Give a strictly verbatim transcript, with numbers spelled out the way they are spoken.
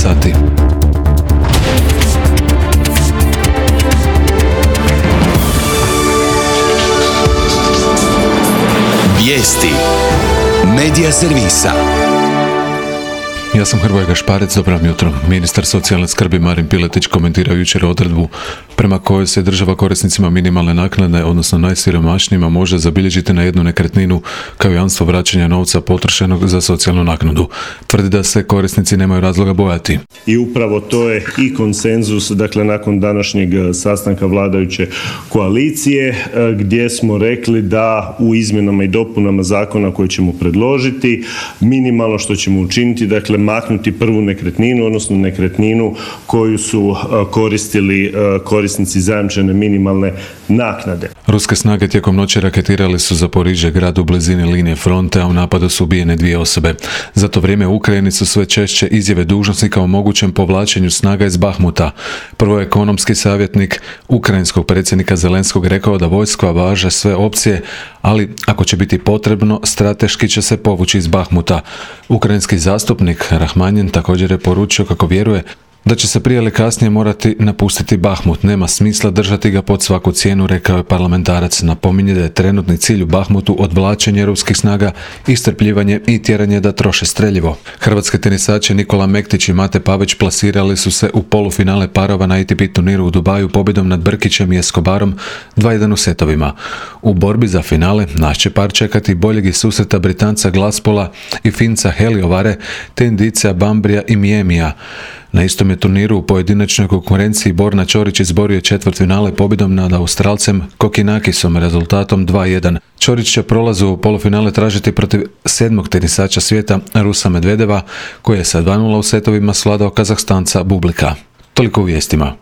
sati. Vijesti Medija servisa. Ja sam Hrvoje Gašparec, dobro jutro. Ministar socijalne skrbi Marin Piletić komentirao jučer odredbu prema kojoj se država korisnicima minimalne naknade, odnosno najsiromašnijima, može zabilježiti na jednu nekretninu kao jamstvo vraćanja novca potrošenog za socijalnu naknadu. Tvrdi da se korisnici nemaju razloga bojati. I upravo to je i konsenzus, dakle nakon današnjeg sastanka vladajuće koalicije, gdje smo rekli da u izmjenama i dopunama zakona koje ćemo predložiti, minimalno što ćemo učiniti, dakle maknuti prvu nekretninu, odnosno nekretninu koju su koristili korisnici zajamčene minimalne naknade. Ruske snage tijekom noći raketirali su Zaporižje, grad u blizini linije fronte, a u napadu su ubijene dvije osobe. Za to vrijeme u Ukrajini su sve češće izjave dužnosnika o mogućem povlačenju snaga iz Bahmuta. Prvo je ekonomski savjetnik ukrajinskog predsjednika Zelenskog rekao da vojska važe sve opcije, ali ako će biti potrebno, strateški će se povući iz Bahmuta. Ukrajinski zastupnik Rahmanjen također je poručio kako vjeruje da će se prije ili kasnije morati napustiti Bahmut. Nema smisla držati ga pod svaku cijenu, rekao je parlamentarac. Napominje da je trenutni cilj u Bahmutu odvlačenje ruskih snaga, istrpljivanje i tjeranje da troše streljivo. Hrvatski tenisači Nikola Mektić i Mate Pavić plasirali su se u polufinale parova na A T P turniru u Dubaju pobjedom nad Brkićem i Escobarom dva jedan u setovima. U borbi za finale naš će par čekati boljeg i susreta Britanca Glaspola i Finca Heliovare te Indijca Bambrija i Miemija. Na istom je turniru u pojedinačnoj konkurenciji Borna Ćorić izborio četvrtfinale pobjedom nad Australcem Kokinakisom rezultatom dva jedan. Ćorić će prolazu u polufinale tražiti protiv sedmog tenisača svijeta Rusa Medvedeva, koji je sa dva nula u setovima svladao Kazahstanca Bublika. Toliko u vijestima.